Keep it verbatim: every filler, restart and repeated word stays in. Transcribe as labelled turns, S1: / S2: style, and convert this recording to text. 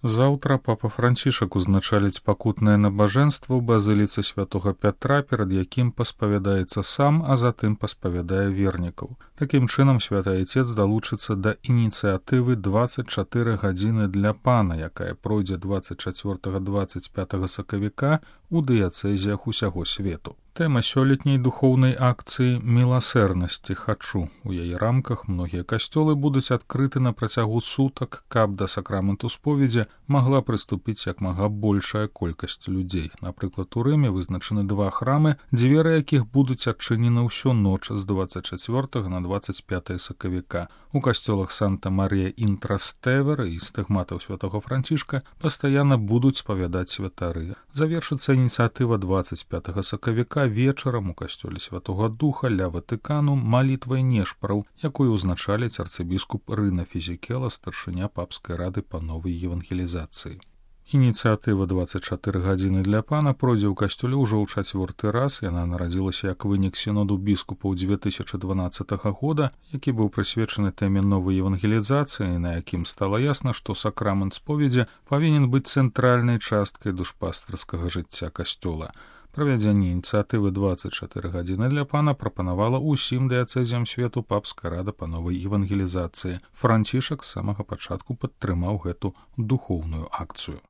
S1: Заўтра папа Францішак узначаліць пакутнае набажэнства ў базыліцы святога Пятра, перад якім паспавядаецца сам, а затым паспавядае вернікаў. Такім чынам святы айцец далучыцца да ініцыятывы дваццаць чатыры гадзіны для пана, якая пройдзе дваццаць чацвёртага - дваццаць пятага сакавіка у дыяцэзіях усяго свету. Тэма сёлетняй духоўнай акцыі «Міласэрнасці хачу». У яе рамках многія касцёлы будуць адкрыты на працягу сутак, каб да сакраменту споведзі магла прыступіць як мага большая колькасць людзей. Напрыклад, у Рыме вызначаны два храмы, дзверы якіх будуць адчынены ўсю ноч з дваццаць чацвёртага на дваццаць пятае сакавіка. У касцёлах Санта-Марія ін Трастэвера і стыгматаў святого Францішка пастаянна будуць спавядаць святары. Завершыцца ініцыятыва дваццаць пятага сакавіка вечарам у касцёле Святога Духа ля Ватыкану малітвай нешпараў, якую ўзначаліць арцыбіскуп Рына Фізікела, старшыня папскай рады па новай евангелізацыі. Ініцыятыва дваццаць чатыры гадзіны для пана пройдзе ў касцёле ўжо ў чацвёрты раз. Яна нарадзілася як вынік сіноду біскупаў дзве тысячы дванаццатага года, які быў прысвечаны тэме новай евангелізацыі, на якім стала ясна, што сакрамент споведзі павінен быць цэнтральнай часткай душпастырскага жыцця касцёла. Правядзенне ініцыятывы дваццаць чатыры гадзіны для пана прапанавала ўсім дыяцэзіям свету папская рада па новай евангелізацыі. Францішак з самага пачатку падтрымаў гэту духоўную акцыю.